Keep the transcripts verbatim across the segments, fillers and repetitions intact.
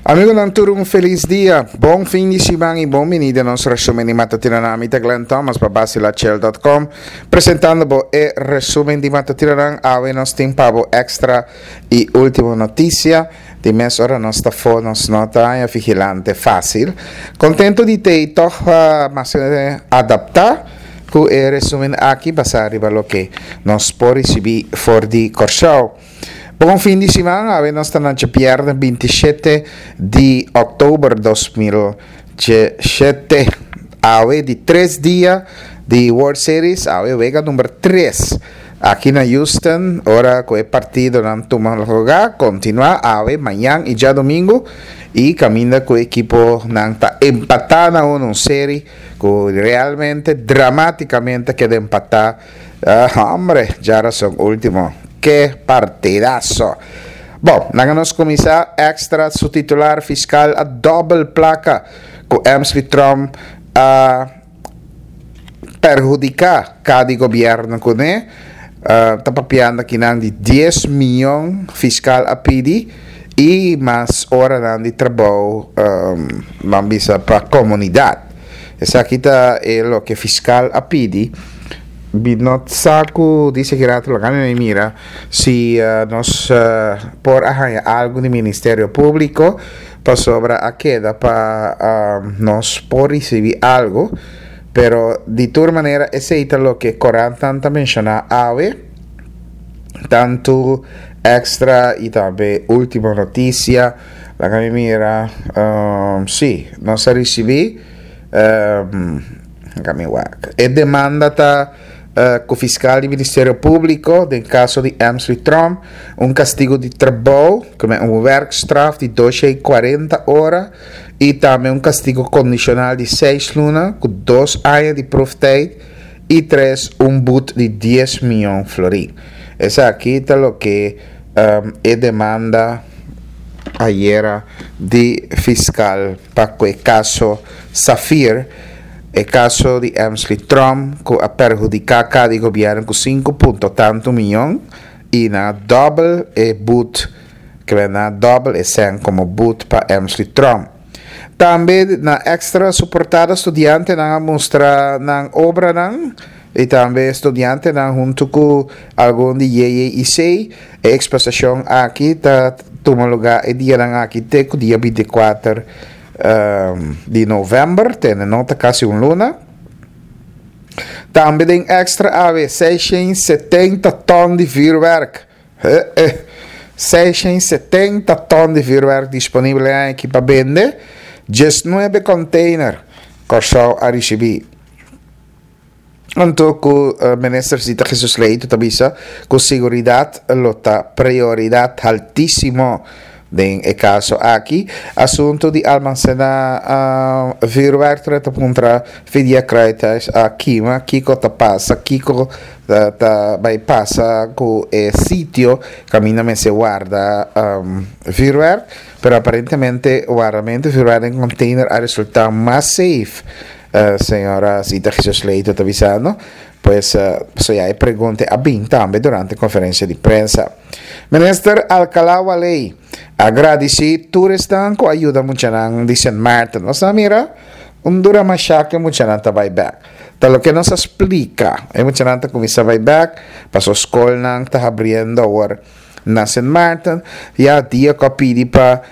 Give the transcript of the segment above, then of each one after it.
Amigonan tur un felis dia, bon fin di siman y bon bini den nos resumen di matutinonan. Mi ta Glenn Thomas pa Bacilachel dot com presentando bo e resumen di matutinonan. Awe nos tin pa bo Extra y Ultimo Noticia. Di mes ora nos ta fo nos no ta haña vigilante facil. Contento di tey toch pa mas adapta cu e resumen aki basa riba loke nos por ricibi for di Corsou. Bon fin di siman, awe nos ta na djabièrnè binti shete di òktober dos mil djeshete. Awe di tres dia di World Series, awe wega number tres aki na Houston, ora ku e partidonan tuma lugá, kontinuá awe, mañan i djadumingu, i kaminda ku e ekiponan ta empatá na unu, un seri ku realmente dramátikamente a keda empatá. Hombre, djarason ultimo. Ke partidazo! Bon, laga nos kuminsá. Extra su titular fiskal a dòbel plaka ku Emsley Trump a perhudiká ka di gobièrnu kuné. Ta papiando akinan di dies mion fiskal a pidi i mas oranan di trabou, nan bisa pa komunidat. Esaki ta e loke fiskal a pidi. Mi no sa ku di seguridat lo gana mi mira si nos por a haña algu di Ministerio Públiko pasobra a keda pa nos por risibí algu. Pero di tur manera esei ta loke korantnan ta menshoná awe, tantu Extra i tambe Ultimo Noticia. Laga mi mira, si, nos a risibí. Laga mi wak. E demanda ta ku fiskal di Ministerio Públiko den kaso di Emsley Tromp un kastigu di trabou, ku un werkstraf di dosha i kuarenta ora i tambe un kastigu kondishonal di seis luna ku dos aña di proeftijd i tres un but di dies mion florin. Esaki ta loke e demanda ayera di fiskal pa ku e kaso Safir, e kaso di Emsley Tromp ku a perhudiká ka di gobièrnu ku sinku punto tantu mion i nan a dòbel e but, kebè nan a dòbel e sèn komo but pa Emsley Tromp. Tambe na Extra su portada studiantenan a mustra nan obranan i tambe studiantenan huntu ku algun di J J I C. E eksposashon aki ta tuma lugá e dianan aki te ku dia binti kuater di novèmber, tene no ta kasi un luna. Tambe den Extra awe seishent setenta tòn di vürwèrk. Seishent setenta tòn di vürwèrk disponibel e aña aki pa bende. Diesnuebe kònteiner Kòrsou a risibí. Anto ku Minister Zita Jesus Leito ta bisa ku siguridat lo ta prioridat haltísimo den e kaso aki. Asuntu di almasená vuurwerk ta puntra Fidia Kruithuis a kima kiko ta pasa, kiko ta bai pasa ku e sitio kaminda mester warda vuurwerk, pero aparentemente wardamentu vuurwerk den container a resultá mas safe. Señora Zita Jesus Leito ta bisando, pues so ya e pregunta a bin tambe durante conferencia di prensa. Minister Alcalá Wallé a gradici tur esnan cu a yuda muchanan di Sint Maarten. Nos a mira un dura masha cu e muchanan ta bay bek. Ta loke nos a splica, e muchanan ta cuminsa bay bek, paso scolnan ta habriendo awor na Sint Maarten. Ya dia cu a pidi pa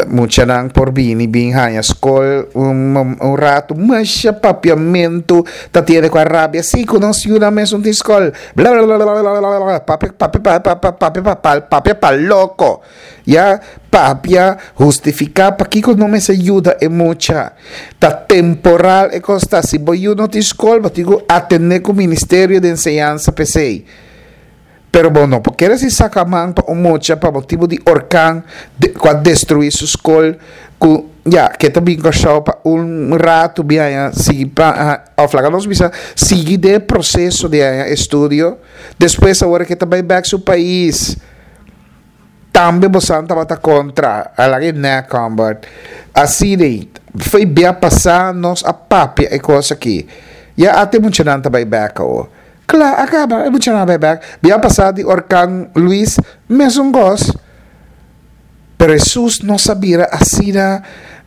muchanan por bini bin haña scol un, un rato, masha papiamento ta tiene cu a rabia, si cu nos yuda mes un tin scol, bla bla bla bla bla bla bla, papia, papia, papia, papia, papia, papia, papia pa loco. Ya papia justifica pakico no mes ayuda e mucha. Ta temporal e costa, si bo yuda no tin scol, bo tin cu atende cu Ministerio de Enseñanza P C. Pero bo no por kere si saca man pa un mucha pa motibo di orkan de, cu a destrui su school, cu ya, que ta bin Kòrsou pa un rato bi aña sigui pa, ah, of laga nos bisa, sigui de proceso de aña estudio, despues awor que ta bai back su pais. Tambe bo san tabata contra, a laga e nek combat. Así de, foi bia pasá nos a papia e cosa aki. Ya ate muchanan ta bai back awo. Kla, acaba, e muchanan bai back. Bia pasá di orkan Luis, mesun gos. Pero Hesus nos a bira asina,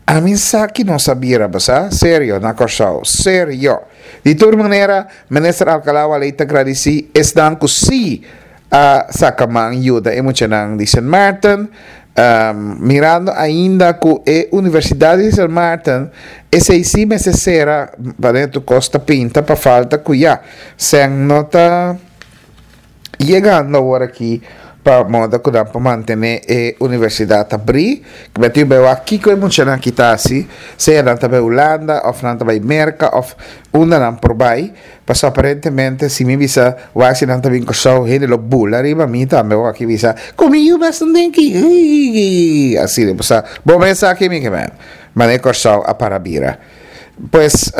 ami sa ki nos a bira, bo sa? Serio, na Kòrsou. Serio. Di tur manera, Minister Alcalá-Wallé ta gradisí esnan ku sí a saka man yuda e muchanan di Sint Maarten, mirando ainda ku e Universidat di Sint Maarten esei sí mester sera paden tur kos ta pinta pa falta ku ya sèn no ta yegando awor aki pa moda ku nan por mantené e universidat abrí. Ku mi a tin bai wak kiko e muchanan aki ta hasi, sea nan ta bai Hulanda òf nan ta bai Merka òf unda nan por bai, pasobra aparentemente si mi bisa wak si nan ta bin Kòrsou hende lo bula riba mi tambe wak aki bisa ku mi yu mes nan den aki iiiiii asina pasobra bo mes sa aki mi ke men manera Kòrsou a para bira pues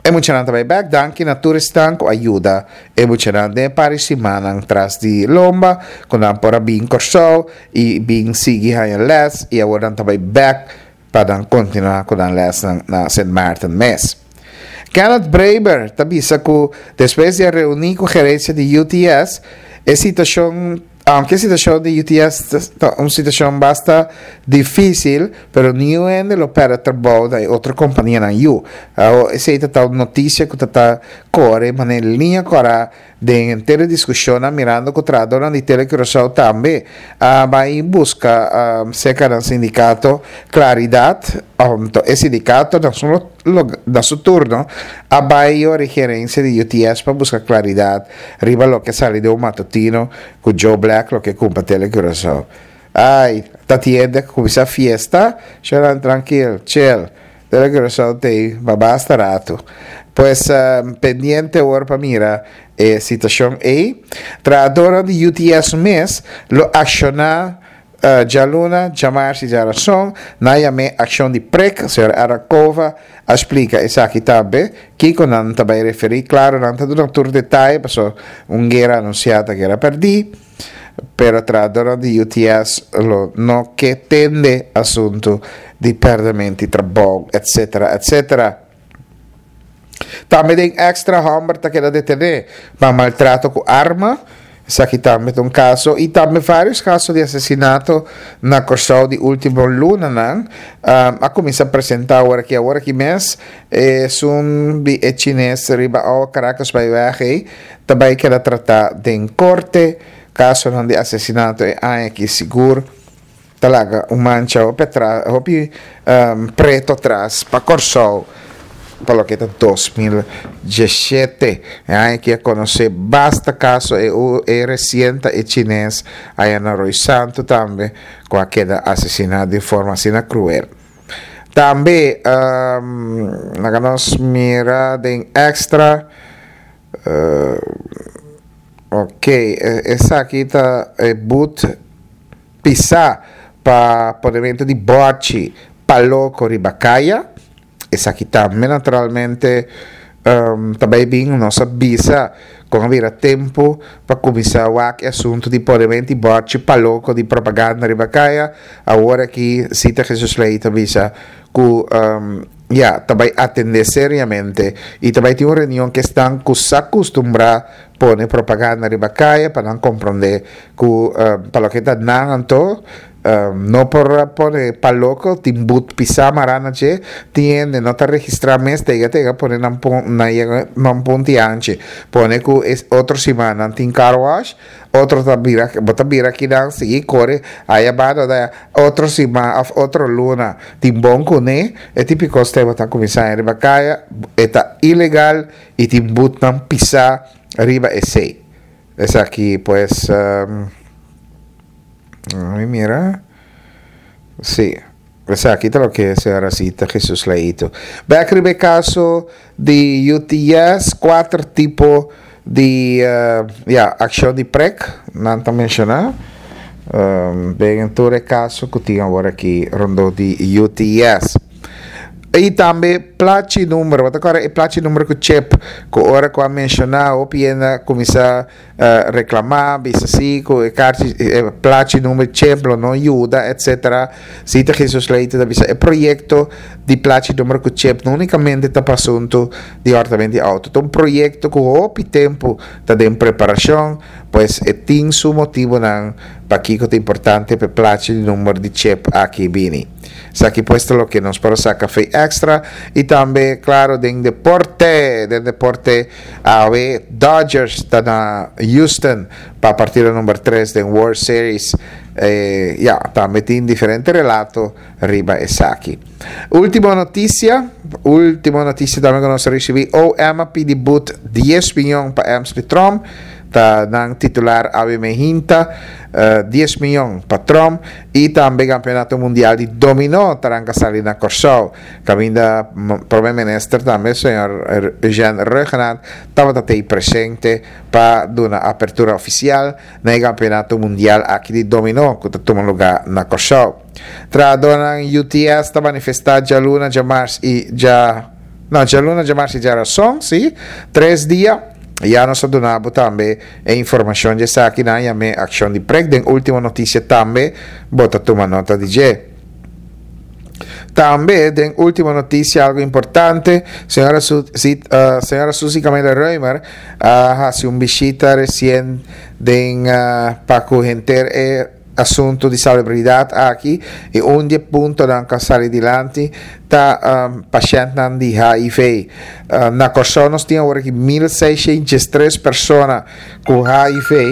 e muchanan ta bai bèk danki na tur esnan ku a yuda e muchanan den e par di simannan tras di lomba ku nan por a bin Kòrsou i bin sigui haña lès i awor nan ta bai bèk pa nan kontinuá ku nan lèsnan na Sint Maarten mes. Kenneth Breber ta bisa ku despues di a reuní ku gerensia di U T S, e situashon, aunke e situashon di U T S ta un situashon basta difísil, pero niun hende lo pèrdè trabou na e otro kompanianan yu. Awor esei ta ta un notisia ku ta ta kore manera liña kòrá den henter e diskushonnan mirando ku trahadornan di Tele Curaçao tambe a bai buska serka nan sindikato klaridat. Anto e sindikato na su na su turno a bai yora e gerensia di U T S pa buska klaridat riba loke a sali den un matutino ku Joe Black loke kumpra Tele Curaçao. Ai, ta tiende a kuminsá fiesta, shornan trankil, chill. Tele Curaçao t'ei pa basta ratu. Pues pendiente awor pa mira e situacion ei. Trahadornan di U T S mes lo acciona djaluna, djamars y djarason. Nan yam'é accion di prek. Señor Arakova a splica esaki tambe. Kico nan ta bay referi? Claro, nan ta duna tur detaye paso un guera anuncia ta guera perdi. Pero trahadornan di U T S lo no ke tende asunto di perdemento di trabou, etcetera, etcetera. Tambe den Extra, homber ta keda detene pa maltrato cu arma. Esaki tambe ta un caso y tambe varios caso di asesinato na Corsou di ultimo lunanan a cuminsa presenta awor aki. Awor aki mes esun di e chines riba awa Caracas bay weg ey ta bay keda trata den corte. Casonan di asesinato e aña aki sigur ta laga un mancha hopi atras, hopi preto atras pa Kòrsou pa loke ta dos mil diesshete. E aña aki a konosé basta kaso, e e resien ta e chines aya na Rooi Santu tambe ku a keda asesiná di forma asina kruel. Tambe laga nos mira den Extra. Ok, esaki ta e but pisá pa ponemento di bòrchi pa loko riba kaya. Esaki tambe naturalmente ta bai bin. Nos a bisa kon a bira tempu pa kuminsá wak e asuntu di ponemento di bòrchi pa loko di propaganda riba kaya. Awor aki Sita Jesus Ley ta bisa ku ya ta bai atendé seriamente i ta bai tin un reunion ku esnan ku sa kustumbrá pone propaganda riba kaya pa nan komprondé ku pa loke ta nan anto no por pone pa loko tin but pisá mará na dje. Tin hende no ta registrá mes tega tega pone nan nan yega nan punti anchi pone ku e otro siman nan tin car wash, otro ta bira bo ta bira kinan sigui kore aya banda da otro siman òf otro luna tin bon kuné. E típiko step bo ta kuminsá riba kaya e ta ilegal i tin butnan pisá riba esei. Esaki pues mi mira sí, esaki ta loke señora Sita Jesus Leito. Bek riba e kaso di U T S, kuater tipo di ya akshon di prek nan ta menshoná den tur e kaso ku tin awor aki rondó di U T S. I tambe plachi number, bo ta kòrda e plachi number ku chip ku ora ku a menshoná hopi hende a kuminsá reklamá, bisa si ku e karchi e plachi number chip lo no yuda, etcetera. Sita Jesus Leito ta bisa e proyekto di plachi number ku chip no únikamente ta pa asuntu di hòrtament di outo, ta un proyekto ku hopi tempu ta den preparashon, pues e tin su motibunan. Pakiko ta importante pa e plachi di number di chip aki bini. Esaki pues ta loke nos por a saca fe Extra y tambe, claro, den deporte, den deporte awe Dodgers ta na Houston pa partido number tres den World Series. Eh, ya, tambe tin diferente relato riba esaki. Ultimo noticia, ultimo noticia tambe cu nos a ricibi, O M a pidi boet dies miyon pa Emsley Tromp, ta nan titular awe mainta, uh, dies miyon pa Tromp. Y tambe Campeonato Mundial di Domino ta ranca sali na Corsou. Caminda Prome Minister tambe, señor Eugene Rhuggenaath, tabata tey presente pa duna apertura oficial na Campeonato Mundial aki di Domino cu ta tuma lugar na Corsou. Trahadornan U T S ta manifesta dialuna, diamars y dia, no, dialuna, diamars y diarason, si, tres dia. Ya nos a duna bo tambe e informacion di esaki na yame accion di prek. Den Ultimo Noticia tambe bo ta tuma nota di dje. Tambe den Ultimo Noticia algo importante, señora, Su, si, uh, señora Suzy Camila Römer a uh, haci un bishita recien den uh, pa cu henter e asunto di salubridad aki y un di e puntonan cu a sali dilanti ta um, pashentnan di H I V. Uh, na Corsou nos tin awor aki mil seishent diestres persona cu H I V,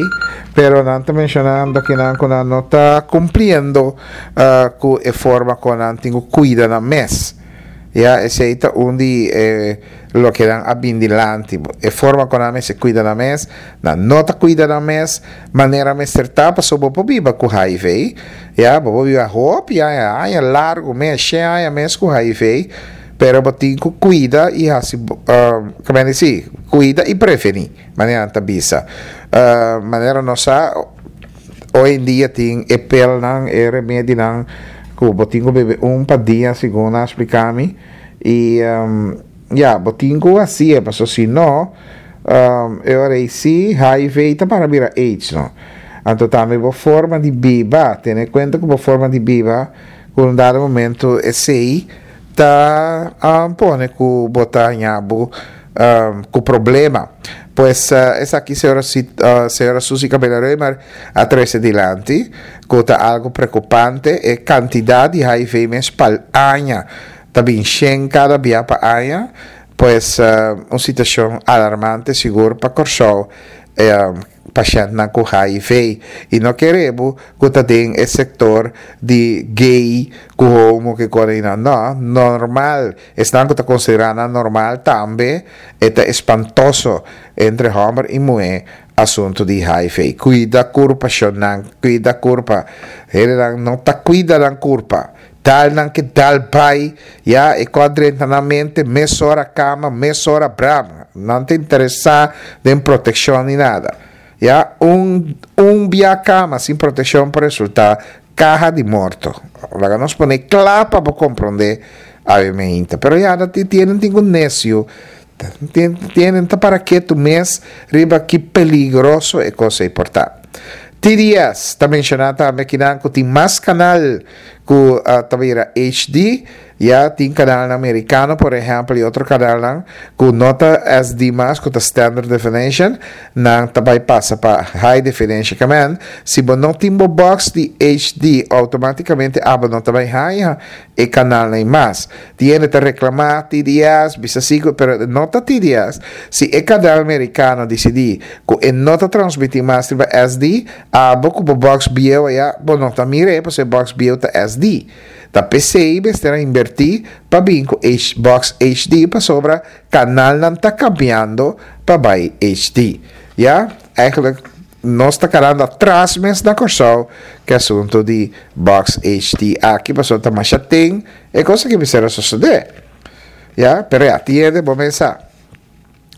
pero nan ta mencionando cu nan, cu nan no ta cumpliendo uh, cu e forma cu nan tin cu cuida nan mes. Ya, esey ta un di eh, loke nan a bin dilanti. E forma cu nan mester cuida nan mes, nan no ta cuida nan mes, manera mester ta, paso bo por biba cu H I V, ya, bo por biba hopi aña, aña largo mes, shen aña mes cu H I V, pero bo tin cu cuida y asina, uh, con ta si, cuida y preveni, manera nan ta bisa. Uh, manera nos sa, hoy en dia tin e pilnan, e remedinan, cu bo tin cu bebe un pa dia, segun a splica mi, y um, ya, bo tin cu asina, paso si no, um, e ora si H I V ta para bira AIDS, no? Anto tambe bo forma di biba, tene cuenta cu bo forma di biba, cu un dado momento esey ta um, pone cu bo ta haña bo um, cu problema. Pues uh, esaki señora, uh, señora Suzy Cabela Römer a trece dilanti, cu ta algo preocupante, e cantidad di H I V mes pa aña, ta bin shen cada bia pa aña, pues uh, un situacion alarmante sigur pa Corsou, eh, pashentnan cu H I V y no kere bo cu ta den e sector di gay cu homo cu corina, no, normal, esnan cu ta considera normal tambe ta espantoso entre homber y muher asunto di H I V. Cuida curpa, nan cuida curpa, nan no ta cuida nan curpa, dal nan ke dal bay, ya, e cos drenta nan mente, mesora cama, mesora bram, no ta interesa den proteccion ni nada. Ya, un, un bia cama sin proteccion por resulta caha di morto. Laga nos pone cla pa comprende, obviamente. Pero ya, tin tin necio, tin ta para keto mes riba ki peligroso e cos por ta. T D S ta menciona tambe cu nan tin mas canal cu uh, tambe H D, ya tin canal americano, por ehempel, y otro canal cu no ta S D mas, cu ta Standard Definition, nan tambe pasa pa High Definition. Kemen, si bo no tin box di H D, automaticamente abo no ta bay haya e canal nan mas. Tin ta reclama T D S, bisa sigur, pero no ta T D S. Si e canal americano dicidi cu e no ta transmiti mas riba S D, abo cu box bieu ya, bo no ta mira, pasobra box bieu ta S D. Ta p'esey mester a inverti pa bin cu box H D, pasobra canalnan ta cambiando pa bay H D. Ja, eigenlijk nos ta kedando atras mes na Corsou cu asunto di box H D aki, pasobra ta mas tin e cos cu mester a sucede. Ja, pero ya, tiene, bo pensa.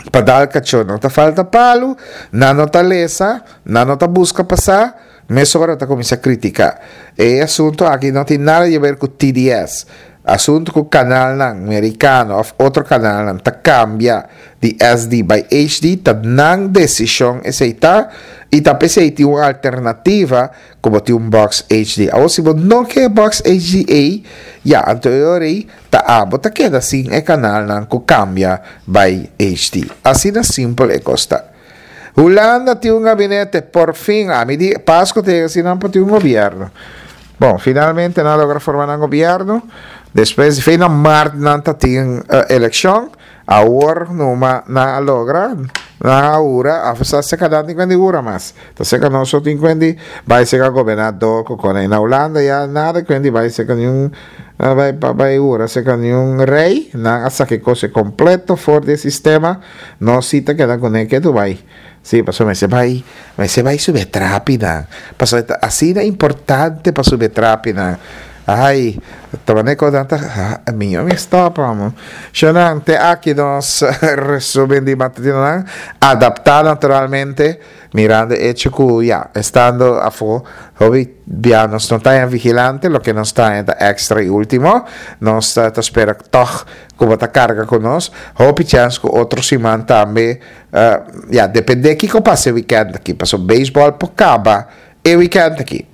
Pa dal cacho no ta falta palo, nan no ta lesa, nan no ta busca pa sa, mesora ta cuminsa critica. E asunto aki no tin nada di haber cu T D S. Asunto cu canalnan americano of otro canalnan ta cambia di S D bay H D, ta nan decision esey ta y ta p'esey tin un alternativa como tin un box H D. Awor, si bo no kier box H D A, ya, anto ta abo ta keda sin e canalnan cu cambia bay H D. Asina simpel e cos ta. Hulanda tin un gabinete, por fin, ami di Pasku ta yega sin nan por tin un gobierno. Bon, finalmente nan a logra forma nan gobierno. Despues di fin na maart nan ta tin uh, elekshon. Awor numa nan a logra, nan a hura, a sa seka nan tin kuendi hura mas. Ta seka nos so tin kuendi bai seka gobernador ku kone. Na Hulanda ya nada kuendi bai seka niun bai bai hura seka niun rei. Nan a saka e kos kompleto for di e sistema. Nos si ta keda kuné ketu bai. Sí, pasobra mester bai, mester bai subi e trapinan. Pasobra ta asina importante pa subi e trapinan. Ai, ta manera ku nan ta, mi yo mi stop amo. Shownan, te aki nos resumen di matutinonan, adaptá naturalmente, mirando e hecho ku ya, estando afó, hopi bia nos no ta haña vigilante, loke nos ta haña ta extra i ultimo. Nos ta spera tòg ku bo ta karga ku nos. Hopi chèns ku otro siman tambe. Ya, depende kiko pasa e weekend aki, pasobra beisbòl por kaba e weekend aki.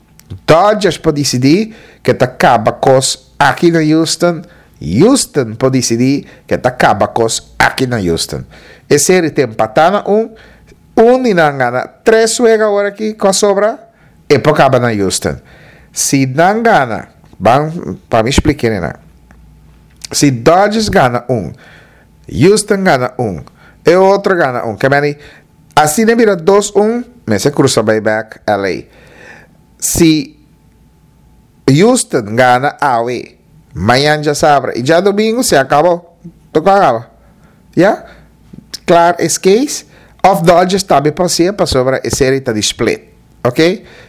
Dodgers por disidí ke ta kaba kos aki na Houston, Houston por disidí ke ta kaba kos aki na Houston. E seri ta empatá na un, un di nan gana tres wega awor aki ku a sobra, e por kaba na Houston. Si nan gana, ban pa mi splika nan. Si Dodgers gana un, Houston gana un, e otro gana un. Ke meni, asina bira dos un, mester krusa bai bek L A. Si Houston gana awe, mañan djasabra i djadomingu, se akabó. Toko a kaba. Ya? Klar es case. Of Dodgers tambe por hacié pasobra e serie ta di split. Ok?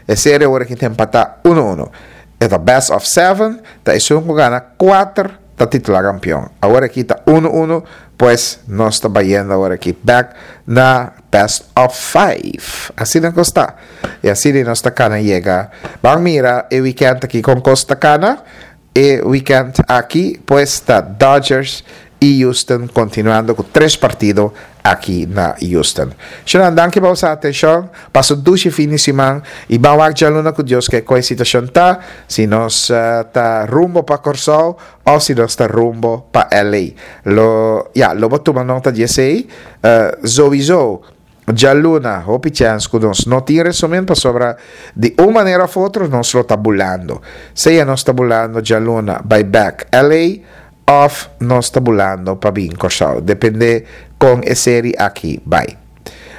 E serie awor aki ta empatá uno uno. E ta best of seven, ta esun ku gana kuater ta titulá kampion. Awor aki ta uno uno, pues nos ta bayendo awor aki bek na best of five. Asina kos ta. I asina nos ta kana yega. Ban mira e weekend aki kon kos ta kana. E weekend aki pues ta Dodgers i Houston kontinuando ku tres partido aki na Houston. Shownan danki pa boso atenshon, pasa un dushi fin di siman i ban wak djaluna ku Dios ke kon e situashon ta, si nos ta rumbo pa Kòrsou òf si nos ta rumbo pa L A. Lo ya lo bo tuma nota di esei. Zowizo djaluna hopi chèns ku nos no tin resumen pasobra di un manera òf otro nos lo ta bulando. Sea nos ta bulando djaluna bai bèk L A Of nos ta bulando pa bin Kòrsou. Depende kon e seri aki bai.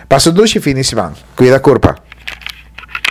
Pasa un dushi fin di siman. Kuida kurpa.